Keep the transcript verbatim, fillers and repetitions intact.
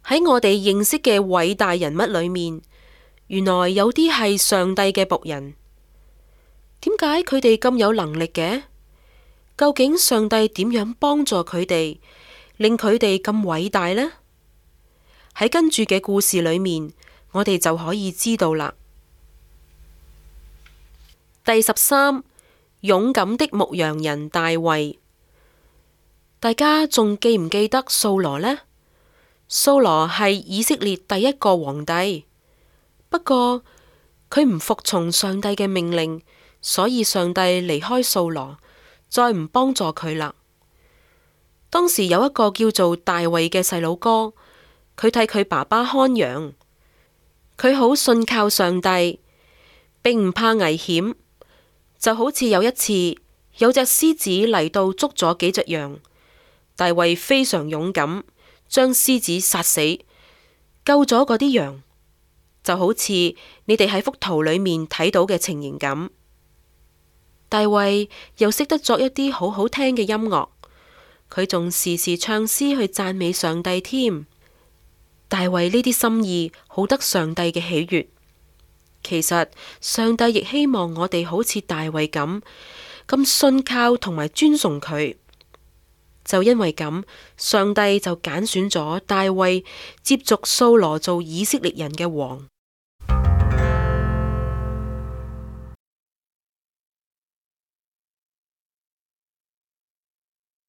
喺我哋認識嘅偉大人物裏面，原來有啲係上帝嘅僕人。點解佢哋咁有能力嘅？究竟上帝點樣幫助佢哋，令佢哋咁偉大呢？喺跟住嘅故事裏面，我哋就可以知道啦。第十三，勇敢的牧羊人大衛。大家仲記唔記得掃羅呢？掃羅係以色列第一個皇帝，不過佢唔服從上帝嘅命令，所以上帝離開掃羅，再唔幫助佢啦。當時有一個叫做大衛嘅細佬哥，佢替佢爸爸看羊，佢好信靠上帝，並唔怕危險。就好似有一次，有隻獅子嚟到捉咗幾隻羊，大衛非常勇敢，將獅子殺死，救咗嗰啲羊，就好似你哋喺幅圖裏面睇到嘅情形咁。大衛又識得作一啲好好聽嘅音樂，佢仲時時唱詩去讚美上帝添。大衛呢啲心意好得上帝嘅喜悅。其實上帝亦希望我哋好似大衛咁，咁信靠同埋尊崇佢。就因為咁，上帝就揀選咗大衛接續掃羅做以色列人嘅王。